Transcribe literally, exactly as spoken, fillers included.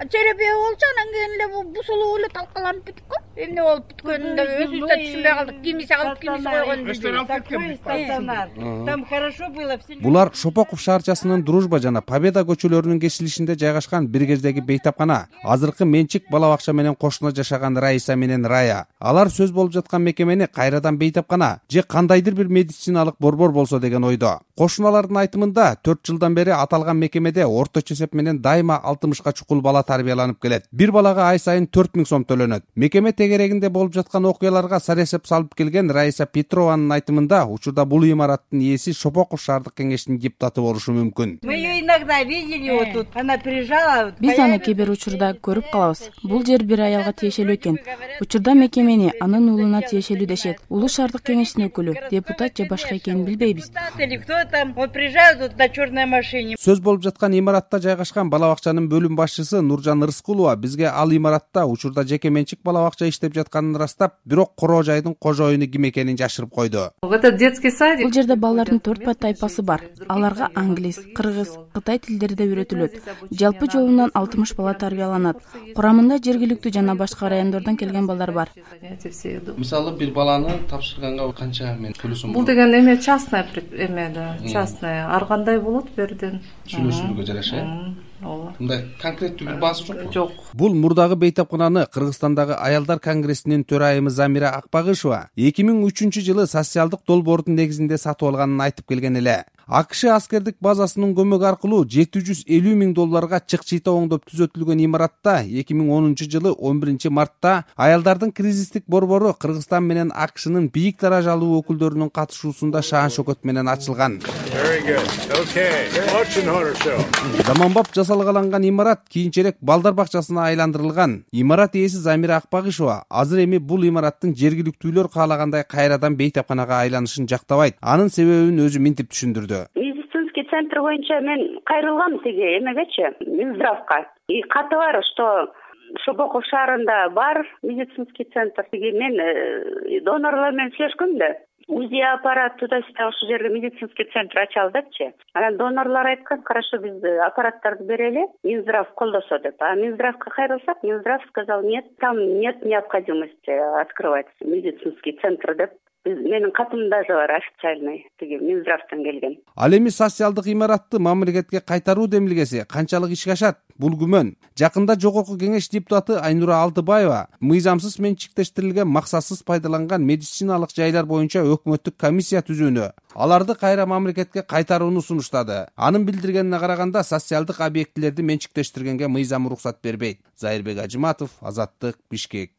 терапия болчу, анан кийин эле бул бусулуп эле талкаланып бүттүк го. Эмне болуп бүткөнүн да өзүбүз да түшүнбөй калдык. Кимиси алып, кимиси койгонун. Там хорошо было. Булар Шопоков шаарчасынын Дружба жана Победа көчөлөрүнүн кесилишинде жайгашкан бир кездеги бейтапкана. Азыркы менчик бала бакча менен кошуна жашаган Раиса менен Рая. Алар сөз болуп жаткан мекемени кайрадан бейтапкана же кандайдыр бир медициналык борбор болсо деген ойдо. Кошуналардын айтымында төрт жылдан бери аталган мекемеде орточо эсеп менен дайыма алтымышка чукул бала тарбияланып келет. Бир балага ай сайын төрт миң сом төлөнөт. Мекеме тегерегинде болуп жаткан окуяларга саресеп салып келген Раиса Петрованын айтымында учурда бул имараттын ээси Шопоков шаардык кеңешинин депутаты болушу мүмкүн. Мы ее иногда видели вот тут. Она приезжала. Биз аны кээ бир учурда көрүп калабыз. Бул жер бир аялга тиешелүү экен. Учурда мекемени анын уулуна тиешелүү дешет. Улуу шаардык кеңешинин өкүлү, депутат же башка экенин билбейбиз. Там вот приезжают тут на черной машине. Сөз болуп жаткан имаратта жайгашкан бала бакчанын бөлүм башчысы Нуржан Рыскулова бизге ал имаратта учурда жеке менчик бала бакча иштеп жатканын ырастап, бирок короо жайдын кожоюну ким экенин жашырып койду. Это детский садик. Бул жерде балдардын төрт бат тайпасы бар. Аларга англис, кыргыз, кытай тилдери да үйрөтүлөт. Жалпы жолунан алтымыш бала тарбияланат. Курамында жергиликтүү жана башка райондордон келген балдар бар. Мисалы бир баланы тапшырганга канча мен төлөсөм? Бул деген эме частный эме да, частный. Ар кандай болот берден. Сүйлөшүүгө жараша. Мындай конкреттүү бир база жокпу? Жок. Бул мурдагы бейтапкананы Кыргызстандагы аялдар конгрессинин төрайымы Замира Акбагышева эки миң үчүнчү жылы социалдык долбоордун негизинде сатып алганын айтып келген эле. АКШ аскердик базасынын көмөгү аркылуу жети жүз элүү миң долларга чык чыйта оңдоп түзөтүлгөн имаратта эки миң онунчу жылы он биринчи мартта аялдардын кризистик борбору Кыргызстан менен АКШнын бийик даражалуу өкүлдөрүнүн катышуусунда шаан шөкөт менен ачылган. Заманбап жасалгаланган имарат кийинчерээк балдар бакчасына айландырылган. Имарат ээси Замира Акбагышева азыр эми бул имараттын жергиликтүүлөр каалагандай кайрадан бейтапканага айланышын жактабайт. Анын себебин өзү минтип түшүндүрдү. Медицинский центр боюнча мен кайрылгам тиги эмегечи, Минздравка. И каты бар, что Шопоков шаарында бар медицинский центр. Тиги мен донорлор менен сүйлөшкөм да. УЗИ аппарат туда-сюда ошол жерге медицинский центр ачалы депчи. Анан донорлор айткан, хорошо, биз аппараттарды берели, Минздрав колдосо деп. А Минздравка кайрылсак, Минздрав сказал, нет, там нет необходимости открывать медицинский центр деп. Менин катым даже бар официальный, тиги Минздравтан келген. Ал эми социалдык имаратты мамлекетке кайтаруу демилгеси канчалык ишке ашат? Бул күмөн. Жакында жогорку кеңеш депутаты Айнура Алтыбаева мыйзамсыз менчиктештирилген максатсыз пайдаланган медициналык жайлар боюнча өкмөттүк комиссия түзүүнү, аларды кайра мамлекетке кайтарууну сунуштады. Анын билдиргенине караганда социалдык объектилерди менчиктештиргенге мыйзам уруксат бербейт. Зайырбек Ажыматов, Азаттык, Бишкек.